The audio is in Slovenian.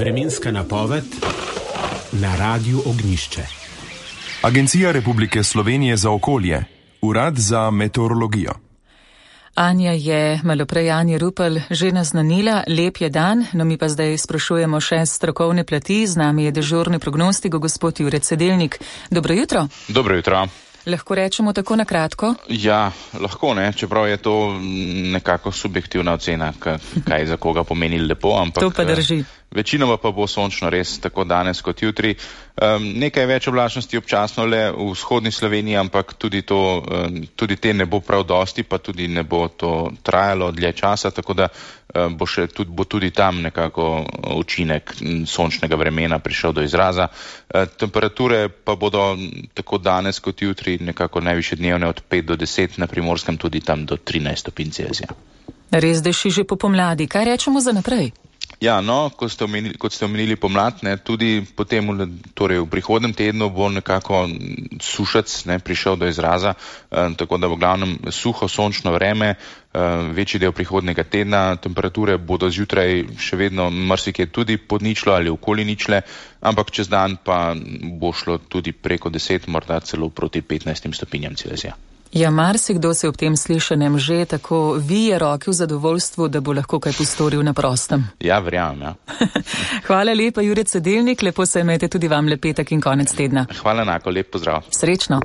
Vremenska napoved na Radiu Ognjišče. Agencija Republike Slovenije za okolje, Urad za meteorologijo. Anja je malo prej Anja Rupel že naznanila, lep je dan, no mi pa zdaj sprašujemo še strokovne plati. Z nami je dežurni prognostik, gospod Jure Cedelnik. Dobro jutro. Dobro jutro. Lahko rečemo tako na kratko? Ja, lahko ne, čeprav je to nekako subjektivna ocena, kaj za koga pomeni lepo, ampak to pa drži. Večinoma pa bo sončno res tako danes kot jutri. Nekaj več oblačnosti občasno le v vzhodni Sloveniji, ampak tudi te ne bo prav dosti, pa tudi ne bo to trajalo dlje časa, tako da bo tudi tam nekako učinek sončnega vremena prišel do izraza. Temperature pa bodo tako danes kot jutri nekako najvišje dnevne od 5 do 10, na Primorskem tudi tam do 13 stopinj Celzija. Res deši že po pomladi, kaj rečemo za naprej? Ja, no, kot ste omenili pomlad, tudi potem torej v prihodnem tednu bo nekako sušec prišel do izraza, tako da bo glavnem suho sončno vreme, večji del prihodnega tedna. Temperature bodo zjutraj še vedno marsikje tudi pod ničlo ali okoli ničle, ampak čez dan pa bo šlo tudi preko 10, morda celo proti 15 stopinjam Celzija. Ja, marsikdo se ob tem slišanem že tako vije roke v zadovoljstvu, da bo lahko kaj postoril na prostem. Ja, verjamem, ja. Hvala lepa, Jure Cedelnik, lepo se imejte tudi vam, lep petek in konec tedna. Hvala enako, lep pozdrav. Srečno.